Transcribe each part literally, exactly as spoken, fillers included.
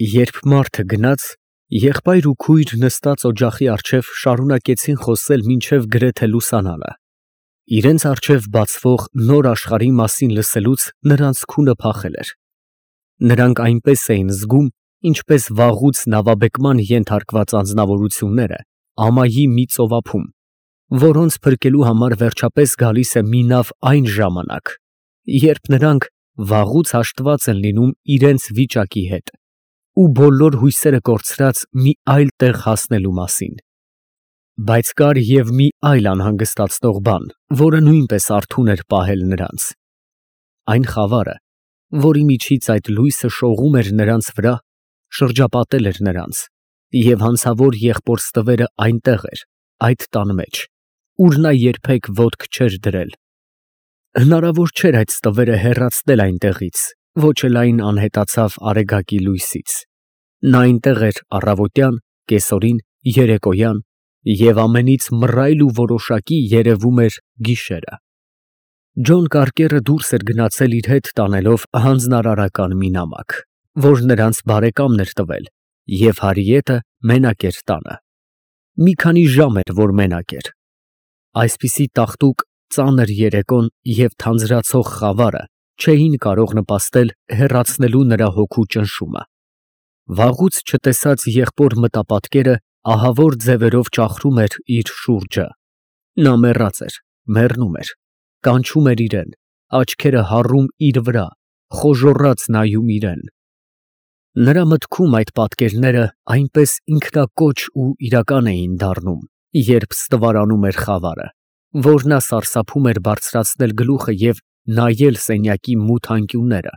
Երբ մարդը գնաց, եղբայր ու քույր նստած օջախի առջև շարունակեցին խոսել մինչև գրեթե լուսանալը. իրենց առջև բացվող նոր աշխարհի մասին լսելուց նրանց քունը փախել էր. նրանք այնպես էին զգում, ինչպես վաղուց նավաբեկման ենթարկված անձնավորությունները ամայի մի ծովափում, որոնց փրկելու համար վերջապես գալիս է մի նավ այն ժամանակ, երբ նրանք վաղուց հաշտված են լինում իրենց վիճակի հետ ու բոլոր հույսերը կորցրած մի այլ տեղ հասնելու մասին։ Բայց կար և մի այլ անհանգստացնող բան, որը նույնպես արթուն էր պահել նրանց. այն խավարը, որի միջից այդ լույսը շողում էր նրանց վրա, շրջապատել էր նրանց, և հանցավոր եղբոր ստվերը այնտեղ էր, այդ տան մեջ, ուր նա երբեք ոտք չէր դրել։ Հնարավոր չէր այդ ստվերը հեռացնել այնտեղից, ոչ էլ այն անհետացավ արեգակի լույսից։ Նա այնտեղ էր առավոտյան, կեսօրին, երեկոյան և ամենից մռայլ ու որոշակի երևում էր գիշերը։ Ջոն Կարկերը դուրս էր գնացել իր հետ տանելով հանձնարարական մի նամակ, որ նրանց բարեկամն էր տվել, և Հարիետը մենակ էր տանը։ Մի քանի ժամ էր, որ մենակ էր։ Այսպիսի տաղտուկ, ծանր երեկոն և թանձրացող խավարը չէին կարող նպաստել հեռացնելու նրա հոգու ճնշումը։ Վաղուց չտեսած եղբոր մտապատկերը ահավոր ձևերով ճախրում էր իր շուրջը։ Նա մեռած էր, մեռնում էր, կանչում էր իրեն, աչքերը հառում իր վրա, խոժոռաց նայում իրան։ Նրա մտքում այդ պատկերները այնպես ինքնակոչ ու իրական էին դառնում, երբ ստվարանում էր խավարը, որ նա սարսափում էր բարձրացնել գլուխը և նայել սենյակի մութ անկյունները,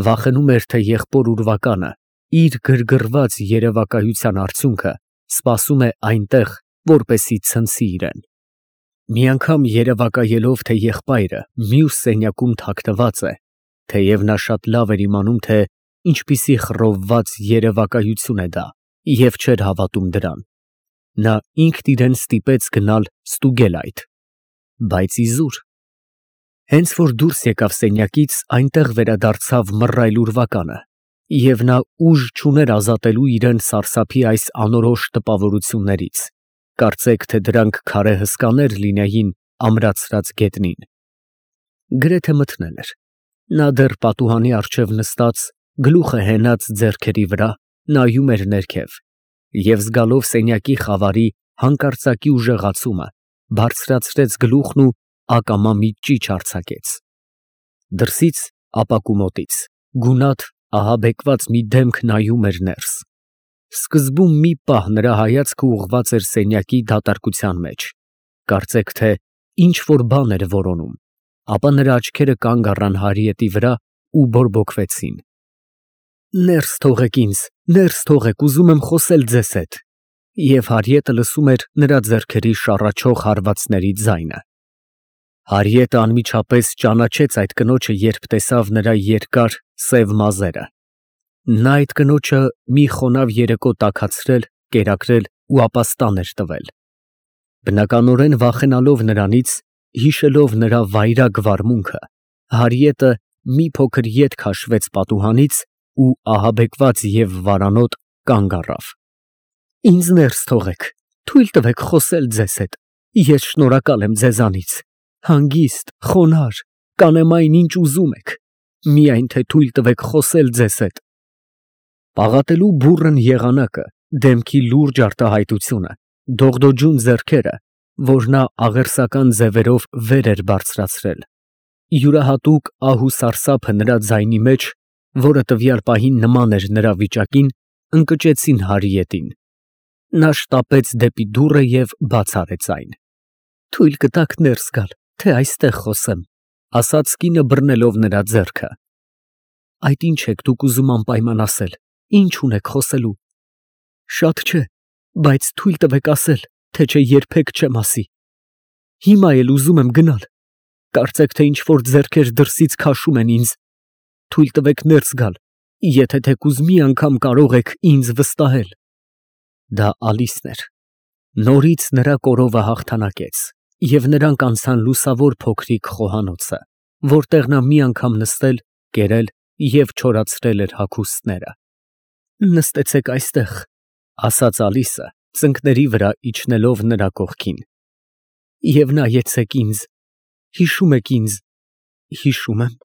վախենում էր, թե եղբոր ուրվականը, իր գրգռված երևակայության արդյունքը, սպասում է այնտեղ, որպեսզի ցնցի իրան։ Մի անգամ երևակայելով, թե եղբայրը մյուս սենյակում թաքնված է, թեև նա շատ լավ էր իմանում, թե ինչպիսի խռովված երևակայություն է դա և չէր հավատում դրան, նա ինքն իրան ստիպեց գնալ ստուգել այդ։ Բայց իզուր։ Հենց որ դուրս եկավ սենյակից, այնտեղ վերադարձավ մռայլ ուրվականը, և նա ուժ չուներ ազատելու իրան սարսափի այս անորոշ տպավորություններից, կարծեք թե դրանք քարե հսկաներ լինեին ամրացրած գետնին։ Գրեթե մթնել էր։ Նա դեռ պատուհանի առջև նստած, գլուխը հենած ձեռքերի վրա, նայում էր ներքև և զգալով սենյակի խավարի հանկարծակի ուժեղացումը, բարձրացրեց գլուխն ու ակամա մի ճիչ արձակեց։ Դրսից, ապակու մոտից, գունատ, ահաբեկված մի դեմք նայում էր ներս։ Սկզբում մի պահ նրա հայացքը ուղղված էր սենյակի դատարկության մեջ, կարծեք թե ինչ֊որ բան էր որոնում, ապա նրա աչքերը կանգ առան Հարիետի վրա ու բորբոքվեցին։ Ներս թողեք ինձ, ներս թողեք, ուզում եմ խոսել ձեզ հետ։ Եվ Հարիետը լսում էր նրա ձեռքերի շառաչող հարվածների ձայնը։ Հարիետը անմիջապես ճանաչեց այդ կնոջը, երբ տեսավ նրա երկար, սև մազերը։ Նա այդ կնոջը մի խոնավ երեկո տաքացրել, կերակրել ու ապաստան էր տվել։ Բնականորեն վախենալով նրանից, հիշելով նրա վայրագ վարմունքը, Հարիետը մի փոքր ետ քաշվեց պատուհանից ու ահաբեկված և վարանոտ կանգ առավ։ Ինձ ներս թողեք, թույլ տվեք խոսել ձեզ հետ, ես շնորհակալ եմ ձեզանից, հանգիստ, խոնարհ, կանեմ այն, ինչ ուզում եք, միայն թե թույլ տվեք խոսել ձեզ հետ։ Պաղատելու բուռն եղանակը, դեմքի լուրջ արտահայտությունը, դողդոջուն ձեռքերը, որ նա աղերսական ձևերով վեր էր բարձրացրել, յուրահատուկ ահ ու սարսափը նրա ձայնի մեջ, որը տվյալ պահին նման էր նրա վիճակին, ընկճեցին Հարիետին։ Նա շտապեց դեպի դուռը և բաց արեց այն։ Թույլ կտաք ներս գալ, թե այստեղ խոսեմ, ասաց կինը բռնելով նրա ձեռքը։ Այդ ինչ եք դուք ուզում անպայման ասել, ինչ ունեք խոսելու։ Շատ չէ, բայց թույլ տվեք ասել, թե չէ երբեք չեմ ասի։ Հիմա էլ ուզում եմ գնալ, կարծեք թե ինչ֊որ ձեռքեր դրսից քաշում են ինձ։ Թույլ տվեք ներս գալ, եթե թեկուզ մի անգամ կարող եք ինձ վստահել։ Դա Ալիսն էր։ Նորից նրա կորովը հաղթանակեց, և նրանք անցան լուսավոր փոքրիկ խոհանոցը, որտեղ նա մի անգամ նստել, կերել և չորացրել էր հագուստները։ Նստեցեք այստեղ, ասաց Ալիսը, ծնկների վրա իջնելով նրա կողքին, և նայեցեք ինձ, հիշում եք ինձ, հիշում եմ,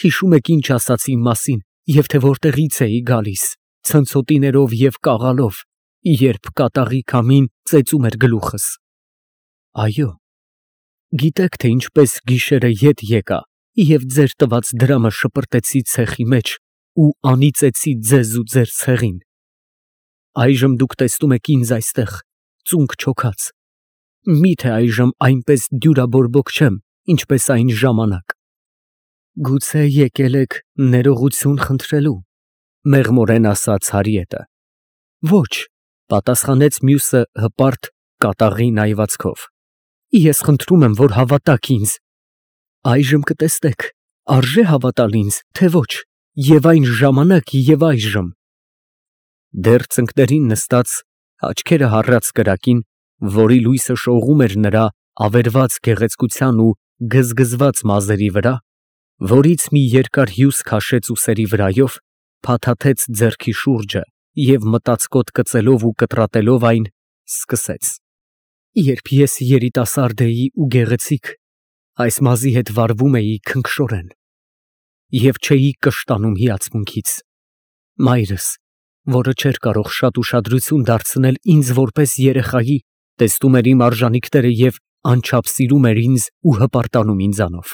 հիշում եք ինչ ասացի իմ մասին, և թե որտեղից էի գալիս, ցնցոտիներով և կաղալով, երբ կատաղի քամին ծեծում էր գլուխս, այո, գիտեք, թե ինչպես գիշերը ետ եկա և ձեր տված դրամը շպրտեցի ցեխի մեջ ու անիծեցի ձեզ ու ձեր ցեղին, այժմ դուք տեսնում եք ինձ այստեղ, ծունկ չոքած, մի՞թե այժմ այնպես դյուրաբորբոք չեմ, ինչպես այն ժամանակ, գուցե եկել եք ներողություն խնդրելու, մեղմորեն ասաց Հարիետը, ոչ, պատասխանեց մյուսը հպարտ կատաղի նայվածքով, ես խնդրում եմ, որ հավատաք ինձ, այժմ կտեսնեք, արժե հավատալ ինձ, թե ոչ, և այն ժամանակ և այժմ, դեռ ծնկներին նստած, աչքերը հառած կրակին, որի լույսը շողում էր նրա ավերված գեղեցկության ու գզգզված մազերի վրա, որից մի երկար հյուս քաշեց ուսերի վրայով, փաթաթեց ձեռքի շուրջը և մտածկոտ կծելով ու կտրատելով այն, սկսեց. Երբ ես երիտասարդ էի ու գեղեցիկ, այս մազի հետ վարվում էի քնքշորեն և չէի կշտանում հիացմունքից, մայրս, որը չէր կարող շատ ուշադրություն դարձնել ինձ որպես երեխայի, տեսնում էր իմ արժանիքները և անչափ սիրում էր ինձ ու հպարտանում ինձանով,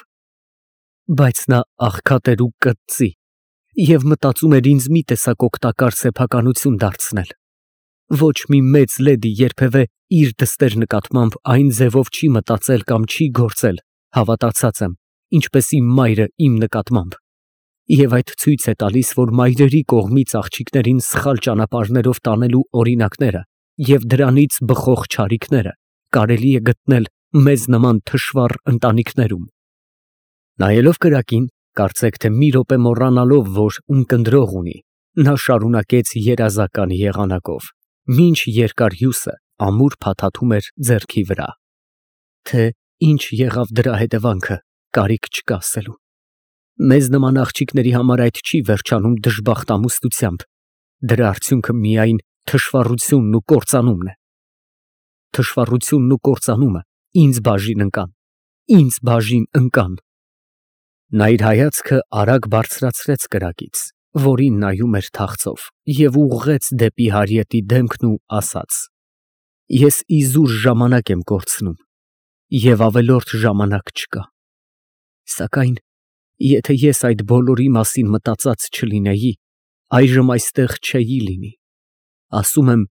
բայց նա աղքատ էր ու կծծի և մտածում էր ինձ մի տեսակ օգտակար սեփականություն դարձնել, ոչ մի մեծ լեդի երբևէ իր դստեր նկատմամբ այն ձևով չի մտածել կամ չի գործել, հավատացած եմ, ինչպես իմ մայրը իմ նկատմամբ, և այդ ցույց է տալիս, որ մայրերի կողմից աղջիկներին սխալ ճանապարհներով տանելու օրինակները և դրանից բխող չարիքները կարելի է գտնել մեզ նման թշվառ ընտանիքներում։ Նայելով կրակին, կարծեք թե մի րոպե մոռանալով, որ ունկնդրող ունի, նա շարունակեց երազական եղանակով, մինչ երկար հյուսը ամուր փաթաթում էր ձեռքի վրա, թե ինչ եղավ դրա հետևանքը, կարիք չկա ասելու։ Մեզ նման աղջիկների համար այդ չի վերջանում դժբախտամուստությամբ, դրա արդյունքը միայն թշվառությունն ու կործանումն է։ Թշվառությունն ու կործանումը ինձ բաժին ընկան, ինձ բաժին ընկան։ Նա իր հայացքը արագ բարձրացրեց կրակից, որին նայում էր թախծով, և ուղղեց դեպի Հարիետի դեմքն ու ասաց. Ես իզուր ժամանակ եմ կորցնում, և ավելորդ ժամանակ չկա, սակայն եթե ես այդ բոլորի մասին մտածած չլինեի, այժմ այստեղ չէի լինի, ասում եմ,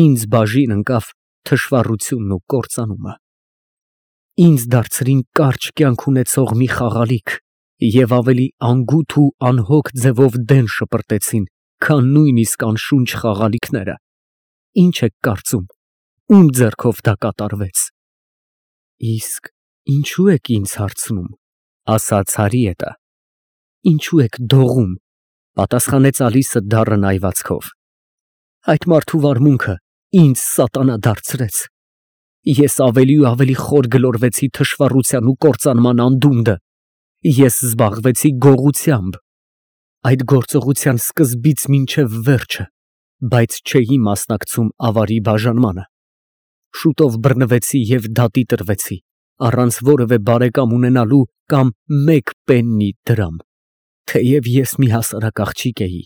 ինձ բաժին ընկավ թշվառությունն ու կործանումը, ինձ դարձրին կարճ կյանք ունեցող մի խաղալիք և ավելի անգութ ու անհոգ ձևով դեն շպրտեցին, քան նույնիսկ անշունչ խաղալիքները, ինչ եք կարծում, ում ձեռքով դա կատարվեց։ Իսկ ինչու եք ինձ հարցնում, ասաց Հարիետը, ինչու եք դողում, պատասխանեց Ալիսը դառն նայվածքով, այդ մարդու վարմունքը ինձ սատանա դարձրեց, ես ավելի ու ավելի խոր գլորվեցի թշվառության ու կործանման անդունդը, ես զբաղվեցի գողությամբ, այդ գործողության սկզբից մինչև վերջը, բայց չէի մասնակցում ավարի բաժանմանը, շուտով բռնվեցի և դատի տրվեցի, առանց որևէ բարեկամ ունենալու կամ մեկ պեննի դրամ, թեև ես մի հասարակ աղջիկ էի,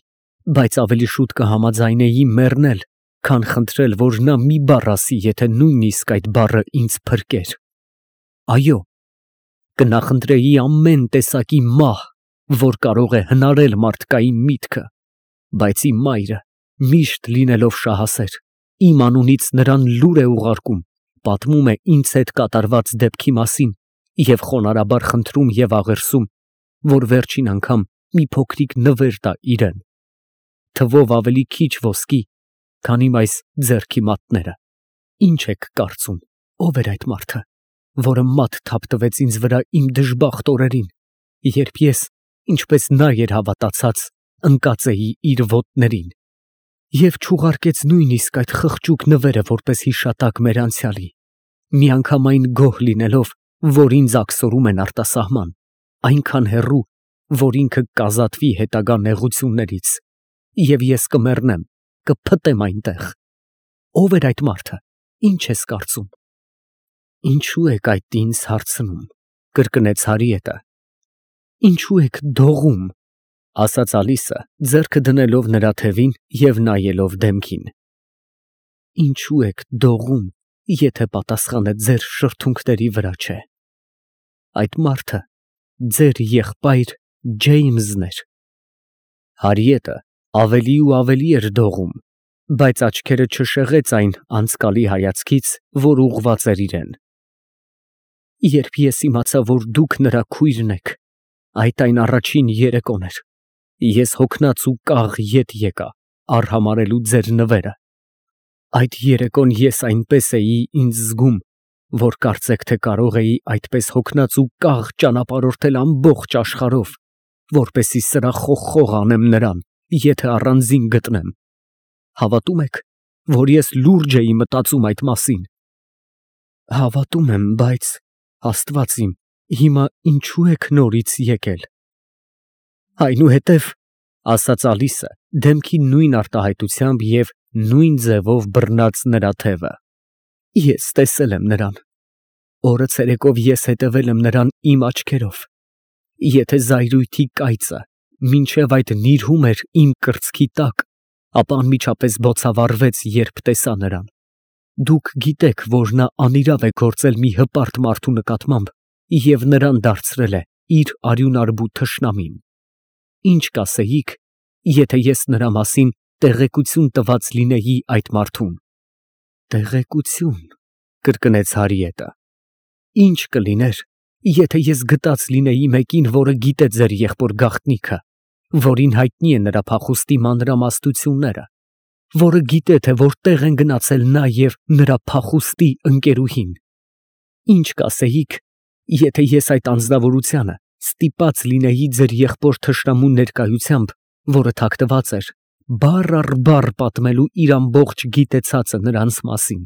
բայց ավելի շուտ կհամաձայնեի մեռնել, քան խնդրել, որ նա մի բառ ասի, եթե նույնիսկ այդ բառը ինձ փրկեր։ Այո, կնախընտրեի ամեն տեսակի մահ, որ կարող է հնարել մարդկային միտքը, բայց իմ մայրը, միշտ լինելով շահասեր, իմ անունից նրան լուր է ուղարկում, պատմում է ինձ հետ կատարված դեպքի մասին և խոնարհաբար խնդրում և աղերսում, որ վերջին անգամ մի փոքրիկ նվեր տա իրան, թվով ավելի քիչ ոսկի, քան իմ այս ձեռքի մատները։ Ինչ եք կարծում, ով էր այդ մարդը, որը մատ թափտվեց ինձ վրա իմ դժբախտ օրերին, երբ ես, ինչպես նա էր հավատացած, ընկած էի իր ոտներին, և չուղարկեց նույնիսկ այդ խղճուկ նվերը որպես հիշատակ մեր անցյալի, միանգամայն գոհ լինելով, որ ինձ աքսորում են արտասահման, այնքան հեռու, որ ինքը կազատվի հետագա նեղություններից, Եվ ես կմեռնեմ, կփտեմ այնտեղ։ Ո՞վ էր այդ մարդը, ինչ ես կարծում։ Ինչու եք այդ ինձ հարցնում, կրկնեց Հարիետը։ Ինչու եք դողում, ասաց Ալիսը, ձեռքը դնելով նրա թևին և նայելով դեմքին։ Ինչու եք դողում, եթե պատասխանը ձեր շրթունքների վրա չէ։ Այդ մարդը ձեր եղբայր Ջեյմսն էր։ Հարիետը ավելի ու ավելի էր դողում, բայց աչքերը չշեղեց այն անցկալի հայացքից, որ ուղղված էր իրեն։ Երբ ես իմացա, որ դուք նրա քույրն եք, այդ այն առաջին երեկոն էր, ես հոգնած ու կաղ ետ եկա արհամարհելու ձեր նվերը։ Այդ երեկոն ես այնպես էի ինձ զգում, որ կարծեք թե կարող էի այդպես հոգնած ու կաղ ճանապարհորդել ամբողջ աշխարհով, որպեսզի սրախոխող անեմ նրան, եթե առանձին գտնեմ։ Հավատում եք, որ ես լուրջ էի մտածում այդ մասին։ Հավատում եմ, բայց Աստված իմ, հիմա ինչու եք նորից եկել։ Այնուհետև, ասաց Ալիսը, դեմքի նույն արտահայտությամբ և նույն ձևով բռնած նրա թևը, ես տեսել եմ նրան։ Օրը ցերեկով ես հետևել եմ նրան իմ աչքերով։ Եթե զայրույթի կայծը մինչև այդ նիրհում էր իմ կրծքի տակ, ապա անմիջապես բոցավառվեց, երբ տեսա նրան։ Դուք գիտեք, որ նա անիրավ է գործել մի հպարտ մարդու նկատմամբ և նրան դարձրել է իր արյունարբու թշնամին։ Ինչ կասեիք, եթե ես նրա մասին տեղեկություն տված լինեի այդ մարդուն։ Տեղեկություն, կրկնեց Հարիետը։ Ինչ կլիներ, եթե ես գտած լինեի մեկին, որը գիտե ձեր եղբոր գաղտնիքը, որին հայտնի է նրա փախուստի մանրամասնությունները, որը գիտե, թե որտեղ են գնացել նա և նրա փախուստի ընկերուհին։ Ինչ կասեիք, եթե ես այդ անձնավորությանը ստիպած լինեի ձեր եղբոր թշնամու ներկայությամբ, որը թաքնված էր, բառ առ բառ պատմելու իր ամբողջ գիտեցածը նրանց մասին։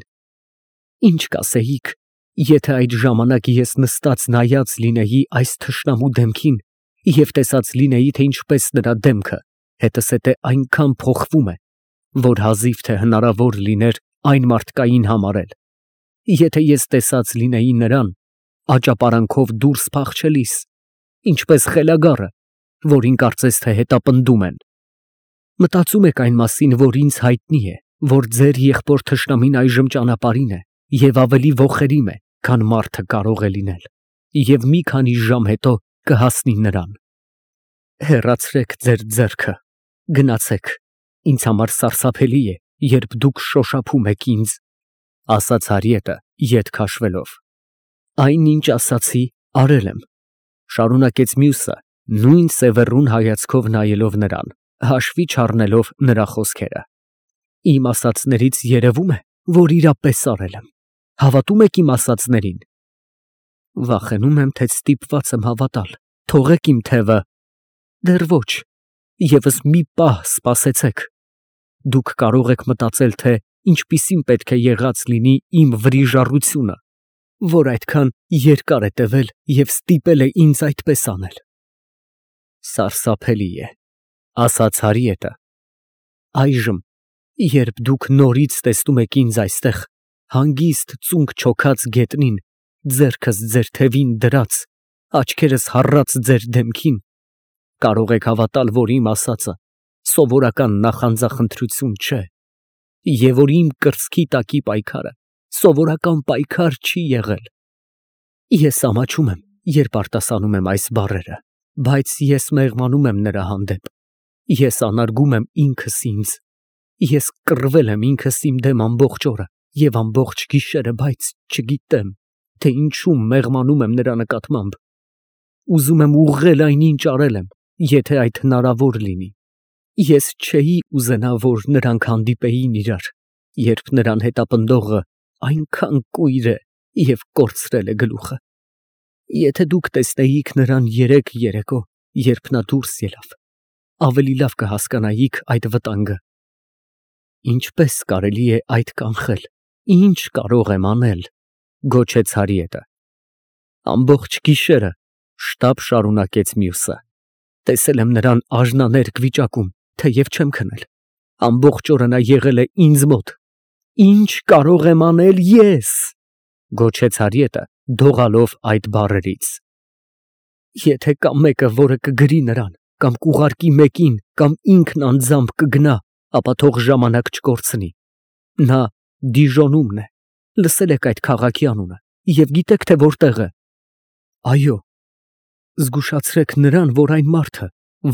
Ինչ կասեիք, եթե այդ ժամանակ ես նստած նայած լինեի այս թշնամու դեմքին և տեսած լինեի, թե ինչպես նրա դեմքը հետզհետե այնքան փոխվում է, որ հազիվ թե հնարավոր լիներ այն մարդկային համարել, եթե ես տեսած լինեի նրան աճապարանքով դուրս փախչելիս, ինչպես խելագարը, որին կարծես թե հետապնդում են։ Մտածում եք այն մասին, որ ինձ հայտնի է, որ ձեր եղբոր թշնամին այժմ ճանապարհին է և ավելի ոխերիմ է, քան մարդը կարող է լինել, և մի քանի ժամ հետո կհասնի նրան։ Հեռացրեք ձեր ձեռքը, գնացեք, ինձ համար սարսափելի է, երբ դուք շոշափում եք ինձ, ասաց Հարիետը ետ քաշվելով։ Այն ինչ ասացի, արել եմ, շարունակեց մյուսը, նույն սևեռուն հայացքով նայելով նրան, հաշվի չառնելով նրա խոսքերը։ Իմ ասածներից երևում է, որ իրապես արել եմ։ Հավատում եք իմ ասածներին։ Վախենում եմ, թե ստիպված եմ հավատալ, թողեք իմ թևը։ Դեռ ոչ, ևս մի պահ սպասեցեք։ Դուք կարող եք մտածել, թե ինչպիսին պետք է եղած լինի իմ վրիժառությունը, որ այդքան երկար է տևել և ստիպել է ինձ այդպես անել։ Սարսափելի է, ասաց Հարիետը։ Այժմ, երբ դուք նորից տեսնում եք ինձ այստեղ, հանգիստ ծունկ չոքած գետնին, ձեռքս ձեր թևին դրած, աչքերս հառած ձեր դեմքին, կարող եք հավատալ, որ իմ ասածը սովորական նախանձախնդրություն չէ, և որ իմ կրծքի տակի պայքարը սովորական պայքար չի եղել։ Ես ամաչում եմ, երբ արտասանում եմ այս բառերը, բայց ես մեղմանում եմ նրա հանդեպ, ես անարգում եմ ինքս ինձ, ես կռվել եմ ինքս իմ դեմ ամբողջ օրը և ամբողջ գիշերը, բայց չգիտեմ, թե ինչու մեղմանում եմ նրա նկատմամբ։ Ուզում եմ ուղղել այն, ինչ արել եմ, եթե այդ հնարավոր լինի։ Ես չէի ուզենա, որ նրանք հանդիպեին իրար, երբ նրան հետապնդողը այնքան կույր է և կորցրել է գլուխը։ Եթե դուք տեսնեիք նրան երեկ երեկո, երբ նա դուրս ելավ, ավելի լավ կհասկանայիք այդ վտանգը։ Ինչպես կարելի է այդ կանխել, ինչ կարող եմ անել, գոչեց Հարիետը։ Ամբողջ գիշերը, շտապ շարունակեց մյուսը, տեսել եմ նրան աժնաներկ վիճակում, թեև չեմ քնել, ամբողջ օրը նա եղել է ինձ մոտ։ Ինչ կարող եմ անել ես, գոչեց Հարիետը, դողալով այդ բառերից։ Եթե կա մեկը, որը կգրի նրան, կամ կուղարկի մեկին, կամ ինքն անձամբ կգնա, ապա թող ժամանակ չկորցնի։ Նա Դիժոնում է, լսել եք այդ քաղաքի անունը և գիտեք, թե որտեղ է։ Այո, զգուշացրեք նրան, որ այն մարդը,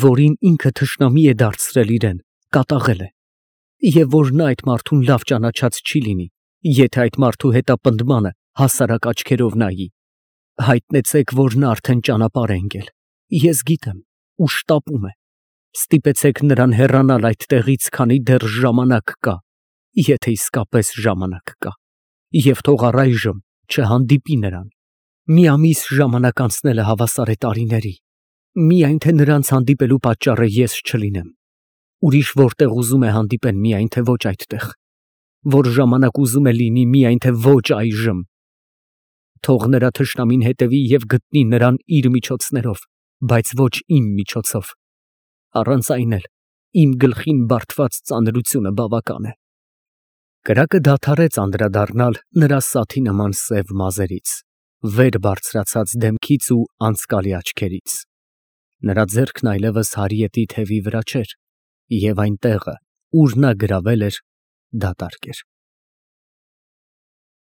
որին ինքը թշնամի է դարձրել իրեն, կատաղել է, և որ նա այդ մարդուն լավ ճանաչած չի լինի, եթե այդ մարդու հետապնդմանը հասարակ աչքերով նայի։ Հայտնեցեք, որ նա արդեն ճանապարհ է ընկել, ես գիտեմ, ու շտապում է։ Ստիպեցեք նրան հեռանալ այդ տեղից, քանի դեռ ժամանակ կա, եթե իսկապես ժամանակ կա, և թող առայժմ չհանդիպի նրան։ Մի ամիս ժամանակ անցնել է հավասար է տարիների, միայն թե նրանց հանդիպելու պատճառը ես չլինեմ։ Ուրիշ որտեղ ուզում է հանդիպեն, միայն թե ոչ այդտեղ, որ ժամանակ ուզում է լինի, միայն թե ոչ այժմ։ Թող նրա թշնամին հետևի և գտնի նրան իր միջոցներով, բայց ոչ իմ միջոցով, առանց այն էլ իմ գլխին բարդված ծանրությունը բավական է։ Կրակը դադարեց անդրադառնալ նրա սաթի նման սև մազերից, վեր բարձրացած դեմքից ու անցկալի աչքերից։ Նրա ձեռքն այլևս Հարիետի թևի վրա չէր, և այն տեղը, ուր նա գրավել էր, դատարկ էր։